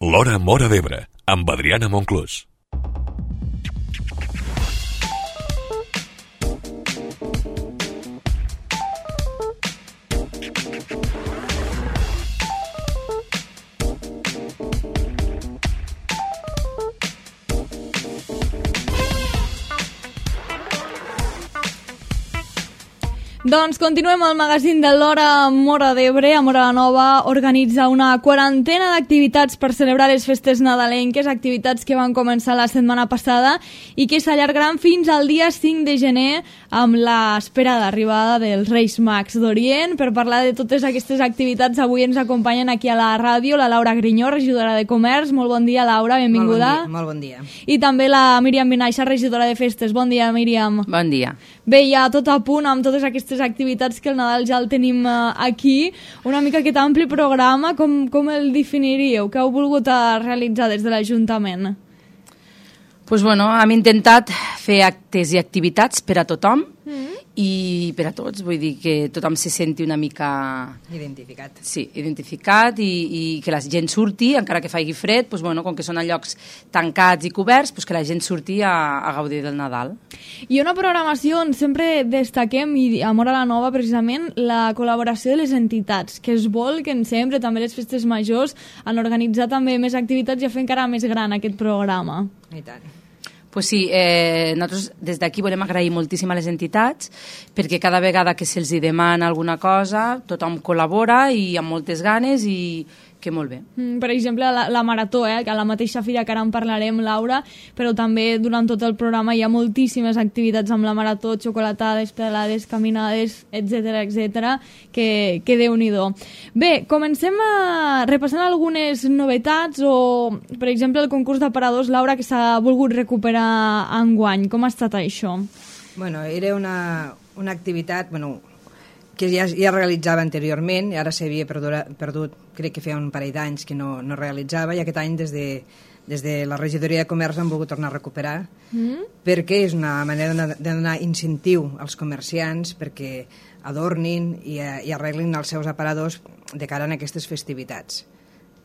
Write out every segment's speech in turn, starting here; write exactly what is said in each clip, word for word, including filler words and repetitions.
L'Hora Móra d'Ebre, amb Adriana Monclús. Doncs continuem al magazín de l'Hora Móra d'Ebre. A Móra la Nova organitza una quarantena d'activitats per celebrar les festes nadalenques, activitats que van començar la setmana passada i que s'allargaran fins al dia cinc de gener amb l'espera d'arribada dels Reis Mags d'Orient. Per parlar de totes aquestes activitats, avui ens acompanyen aquí a la ràdio la Laura Grinyó, regidora de Comerç. Molt bon dia, Laura, benvinguda. Molt bon dia. Molt bon dia. I també la Míriam Benaixa, regidora de Festes. Bon dia, Míriam. Bon dia. Bé, ja tot a punt amb totes aquestes activitats que el Nadal ja el tenim aquí. Una mica aquest ampli programa, com, com el definiríeu? Què heu volgut realitzar des de l'Ajuntament? Pues bueno, hem intentat fer actes i activitats per a tothom mm. i per a tots, vull dir que tothom se senti una mica... Identificat. Sí, identificat i, i que la gent surti, encara que faci fred, pues bueno, com que són a llocs tancats i coberts, pues que la gent surti a, a gaudir del Nadal. I una programació on sempre destaquem, i a Móra la Nova precisament, la col·laboració de les entitats, que es vol que en sempre, també les festes majors, han organitzat també més activitats i a fer encara més gran aquest programa. I tant. Pues sí, eh, nosaltres des d'aquí volem agrair moltíssim a les entitats perquè cada vegada que se'ls demana alguna cosa tothom col·labora i amb moltes ganes i que molt bé. Mm, per exemple, la, la Marató, eh, que a la mateixa fira que ara en parlarem, Laura, però també durant tot el programa hi ha moltíssimes activitats amb la Marató, xocolatades, pedalades, caminades, etcètera, etcètera, que, que déu-n'hi-do. Bé, comencem a repassant algunes novetats o, per exemple, el concurs d'aparadors, Laura, que s'ha volgut recuperar enguany. Com ha estat això? Bueno, era una, una activitat... Bueno, que ja, ja realitzava anteriorment i ara s'havia perdut, perdut, crec que feia un parell d'anys que no, no realitzava, i aquest any des de, des de la regidoria de Comerç han volgut tornar a recuperar mm. perquè és una manera de, de donar incentiu als comerciants perquè adornin i, i arreglin els seus aparadors de cara a aquestes festivitats.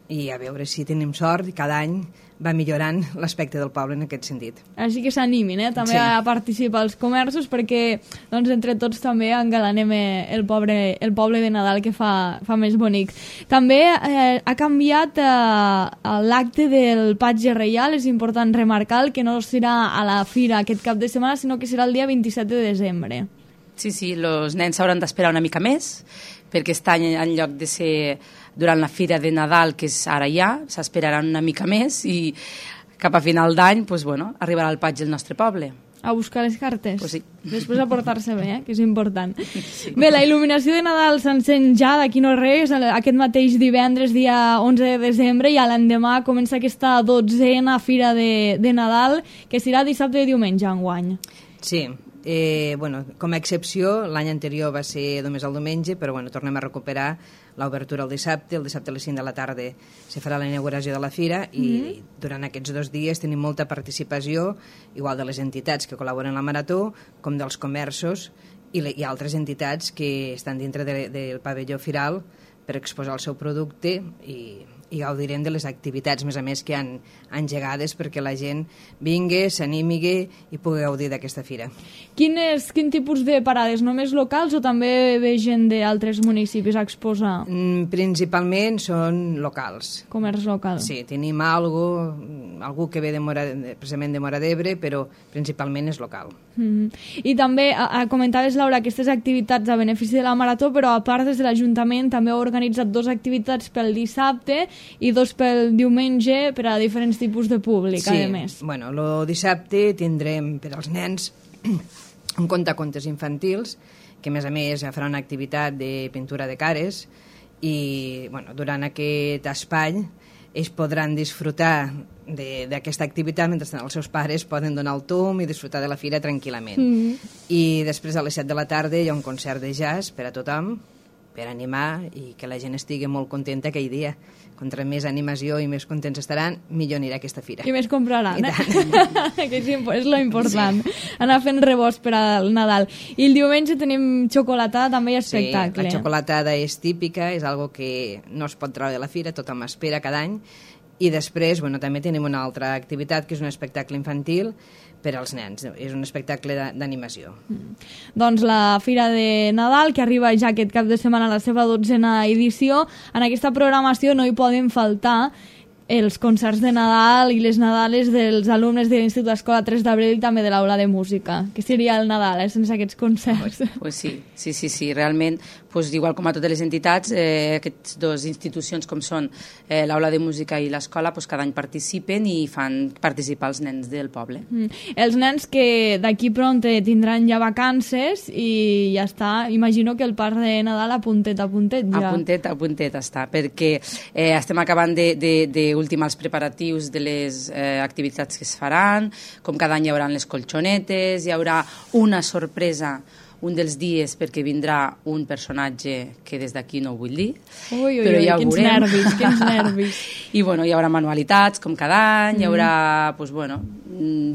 I a veure si tenim sort i cada any va millorant l'aspecte del poble en aquest sentit. Així que s'animin, eh? també sí. a participar als comerços perquè doncs, entre tots també engalanem el poble, el poble de Nadal que fa, fa més bonic. També eh, ha canviat eh, l'acte del Patge Reial, és important remarcar que no serà a la fira aquest cap de setmana, sinó que serà el dia vint-i-set de desembre. Sí, sí, els nens s'hauran d'esperar una mica més perquè aquest any en lloc de ser durant la fira de Nadal, que és ara ja, s'esperaran una mica més i cap a final d'any pues, bueno, arribarà el patge al nostre poble. A buscar les cartes? Pues sí. Després a portar-se bé, eh? que és important. Sí. Bé, la il·luminació de Nadal s'encén ja d'aquí no res, aquest mateix divendres, dia onze de desembre, i a l'endemà comença aquesta dotzena fira de, de Nadal, que serà dissabte i diumenge enguany. Sí. Eh, bueno, com a excepció, l'any anterior va ser només el diumenge, però bueno, tornem a recuperar l'obertura el dissabte. El dissabte a les cinc de la tarda se farà la inauguració de la fira i mm-hmm. durant aquests dos dies tenim molta participació, igual de les entitats que col·laboren en la Marató, com dels comerços i, le, i altres entitats que estan dintre de, del pavelló firal per exposar el seu producte i, i gaudirem de les activitats, més a més, que han engegades perquè la gent vingui, s'animi i pugui gaudir d'aquesta fira. Quines, quin tipus de parades? Només locals o també ve gent d'altres municipis a exposar? Mm, principalment són locals. Comerç local. Sí, tenim algo, algú que ve de Mora, precisament de Móra d'Ebre, però principalment és local. Mm-hmm. I també a, a, comentaves, Laura, aquestes activitats a benefici de la Marató, però a part des de l'Ajuntament també heu organitzat dues activitats pel dissabte i dos pel diumenge per a diferents tipus de públic, sí, a més. Bueno, el dissabte tindrem per als nens un contacontes infantils, que a més a més farà una activitat de pintura de cares i bueno, durant aquest espai ells podran disfrutar d'aquesta activitat mentre els seus pares poden donar el tomb i disfrutar de la fira tranquil·lament. Mm-hmm. I després a les set de la tarda hi ha un concert de jazz per a tothom, per animar i que la gent estigui molt contenta aquell dia. Contra més animació i més contents estaran, millor anirà aquesta fira. I més compraran, eh? que és, és lo important. Sí. Anar fent rebost per al Nadal. I el diumenge tenim xocolatada, també hi ha espectacle. Sí, la xocolatada és típica, és algo que no es pot treure de la fira, tothom espera cada any, I després, bueno, també tenim una altra activitat, que és un espectacle infantil per als nens. És un espectacle d'animació. Mm. Doncs la Fira de Nadal, que arriba ja aquest cap de setmana a la seva dotzena edició, en aquesta programació no hi poden faltar els concerts de Nadal i les Nadales dels alumnes de l'Institut Escola tres d'abril i també de l'aula de música. Què seria el Nadal, eh, sense aquests concerts? Pues, pues sí, sí, sí, sí, realment, pues, igual com a totes les entitats, eh, aquestes dues institucions com són eh, l'aula de música i l'escola, pues, cada any participen i fan participar els nens del poble. Mm. Els nens que d'aquí pront tindran ja vacances i ja està, imagino que el parc de Nadal a puntet a puntet ja. A puntet a puntet està, perquè eh, estem acabant de, de, de ultimar els preparatius de les eh, activitats que es faran, com cada any hi haurà les colxonetes, hi haurà una sorpresa un dels dies perquè vindrà un personatge que des d'aquí no ho vull dir, ui, ui, però ja ho quins veurem. nervis, quins nervis. I bueno, hi haurà manualitats com cada any, mm. hi haurà pues, bueno,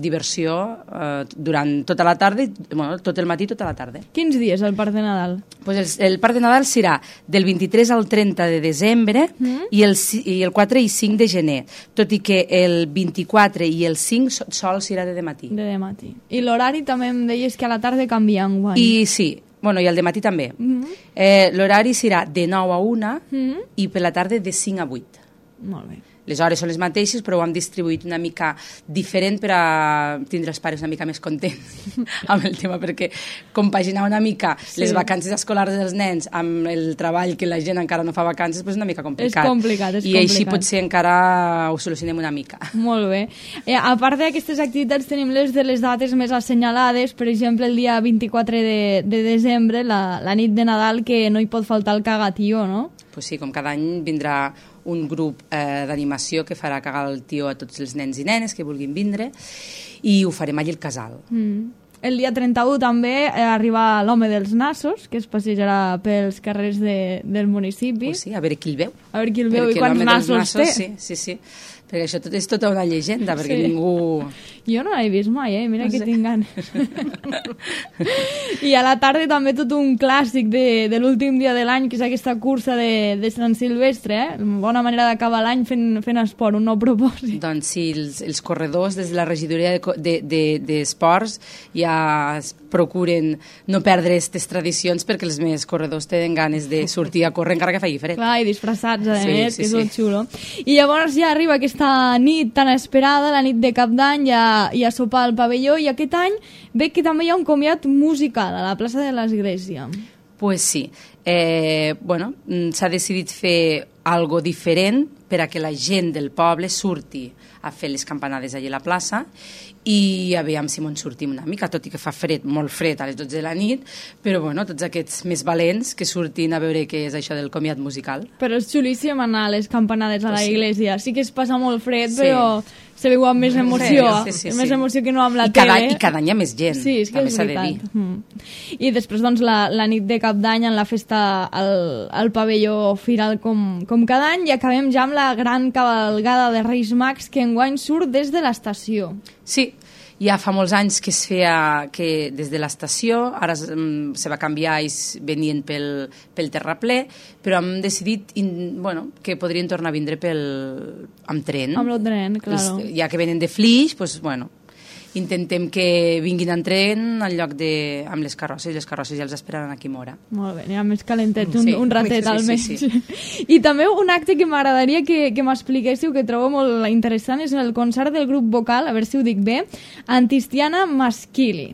diversió eh, durant tota la tarda, bueno, tot el matí, tota la tarda. Quins dies el Parc de Nadal? Pues el, el Parc de Nadal serà del vint-i-tres al trenta de desembre mm. i, el, i el quatre i cinc de gener, tot i que el vint-i-quatre i el cinc sol serà de dematí. De dematí. I l'horari també em deies que a la tarda canvia enguany. I sí, bueno, i al dematí també. Mm -hmm. eh, l'horari serà de nou a una mm -hmm. i per la tarda de cinc a vuit. Molt bé. Les hores són les mateixes, però ho hem distribuït una mica diferent per a tindre els pares una mica més contents amb el tema, perquè compaginar una mica sí. les vacances escolars dels nens amb el treball que la gent encara no fa vacances és pues una mica complicat. És complicat, és I complicat. així potser encara ho solucionem una mica. Molt bé. Eh, a part d'aquestes activitats tenim les de les dates més assenyalades, per exemple el dia vint-i-quatre de, de desembre, la, la nit de Nadal, que no hi pot faltar el cagatió, no? Pues sí, com cada any vindrà un grup eh, d'animació que farà cagar el tió a tots els nens i nenes que vulguin vindre i ho farem allà al casal. Mm. El dia trenta-u també eh, arriba l'home dels nassos, que es passejarà pels carrers de, del municipi. Pues sí, a veure qui el veu. A veure qui el veu perquè i quants nassos, nassos té. Sí, sí, sí. Perquè això tot és tota una llegenda, perquè sí. ningú... Jo no l'he vist mai, eh? Mira no que sé. tinc ganes. I a la tarda també tot un clàssic de, de l'últim dia de l'any, que és aquesta cursa de, de Sant Silvestre, eh? Bona manera d'acabar l'any fent, fent esport, un nou propòsit. Doncs sí, els, els corredors des de la regidoria d'esports de, de, de ja procuren no perdre aquestes tradicions perquè els més corredors tenen ganes de sortir a córrer encara que faci fred. Clar, i disfressats, a sí, més, sí, que és sí. molt xulo. I llavors ja arriba aquesta nit tan esperada, la nit de Cap d'Any, ja, ja sopar al pavelló, i aquest any veig que també hi ha un comiat musical a la plaça de l'Església. Pues sí. Eh, bueno, s'ha decidit fer algo diferent per a que la gent del poble surti a fer les campanades allà a la plaça i aviam si me'n sortim una mica, tot i que fa fred, molt fred a les dotze de la nit, però bueno, tots aquests més valents que surtin a veure què és això del comiat musical. Però és xulíssim anar a les campanades a la pues sí. iglesia. Sí que es passa molt fred, sí. però se veu amb més emoció, sí, sí, sí, més sí. emoció que no amb la I cada, tele. I cada any hi ha més gent, sí, és que també és s'ha de veritat. dir. Mm. I després, doncs, la, la nit de Cap d'Any en la festa al, al pavelló Firal com, com cada any, i acabem ja amb la gran cavalgada de Reis Mags que enguany surt des de l'estació. Sí, ja fa molts anys que es feia que des de l'estació, ara um, se va canviar i venien pel, pel terraplè, però hem decidit in, bueno, que podrien tornar a vindre pel, amb tren. Amb el tren, claro. Els, ja que venen de Flix, pues, bueno, intentem que vinguin en tren en lloc de amb les carrosses, les carrosses ja els esperaran aquí a Mora. Molt bé, ja més calentets, un, sí, un ratet sí, almenys. Sí, sí, sí. I també un acte que m'agradaria que, que m'expliquéssiu, que trobo molt interessant, és el concert del grup vocal, a veure si ho dic bé, Antistiana Maschili.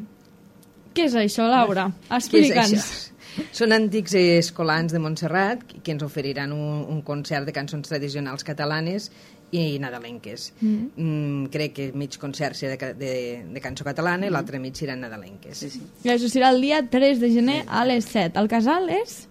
Què és això, Laura? Explica'ns. Són antics escolans de Montserrat que ens oferiran un, un concert de cançons tradicionals catalanes i nadalenques. Mm. Mm, crec que mig concert serà de, de, de cançó catalana i mm. l'altre mig seran nadalenques. Sí, sí. I això serà el dia tres de gener a les set. El casal és?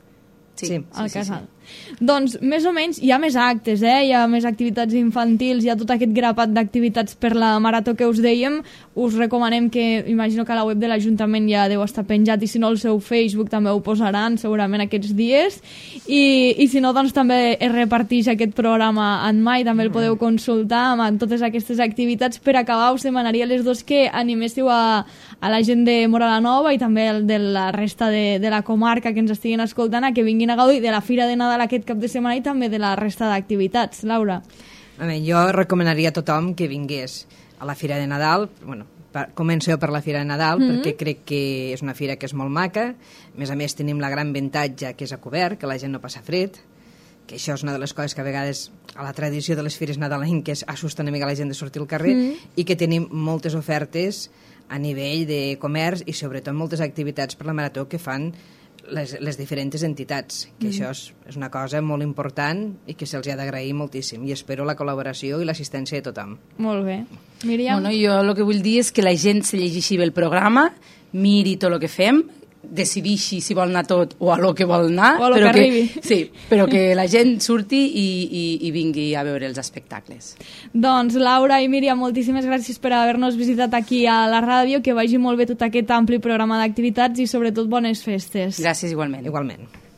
Sí, sí, al sí, casal. Sí. Doncs, més o menys, hi ha més actes, eh? Hi ha més activitats infantils, hi ha tot aquest grapat d'activitats per la marató que us dèiem. Us recomanem que, imagino que a la web de l'Ajuntament ja deu estar penjat, i si no, el seu Facebook també ho posaran segurament aquests dies. I, i si no, doncs també es reparteix aquest programa en mai, també el podeu consultar amb totes aquestes activitats. Per acabar, us demanaria les dos que animéssiu a, a la gent de Móra la Nova i també el de la resta de, de la comarca que ens estiguin escoltant a que vinguin a gaudir de la Fira de Nadal aquest cap de setmana i també de la resta d'activitats. Laura? A mi, jo recomanaria a tothom que vingués a la Fira de Nadal. Bueno, per, comenceu per la Fira de Nadal, mm-hmm. perquè crec que és una fira que és molt maca. A més a més, tenim la gran avantatge que és a cobert, que la gent no passa fred, que això és una de les coses que a vegades a la tradició de les fires nadalenques assusta una mica la gent de sortir al carrer, mm. i que tenim moltes ofertes a nivell de comerç i sobretot moltes activitats per la marató que fan les, les diferents entitats, que mm. això és, és una cosa molt important i que se'ls ha d'agrair moltíssim, i espero la col·laboració i l'assistència de tothom. Molt bé. Míriam? Bueno, jo el que vull dir és que la gent se llegeixi bé el programa, miri tot el que fem, decidixi si vol anar tot o a lo que vol anar, o a lo però que, que arribi. Sí, però que la gent surti i, i, i vingui a veure els espectacles. Doncs Laura i Míriam, moltíssimes gràcies per haver-nos visitat aquí a la ràdio, que vagi molt bé tot aquest ampli programa d'activitats i sobretot bones festes. Gràcies igualment. Igualment.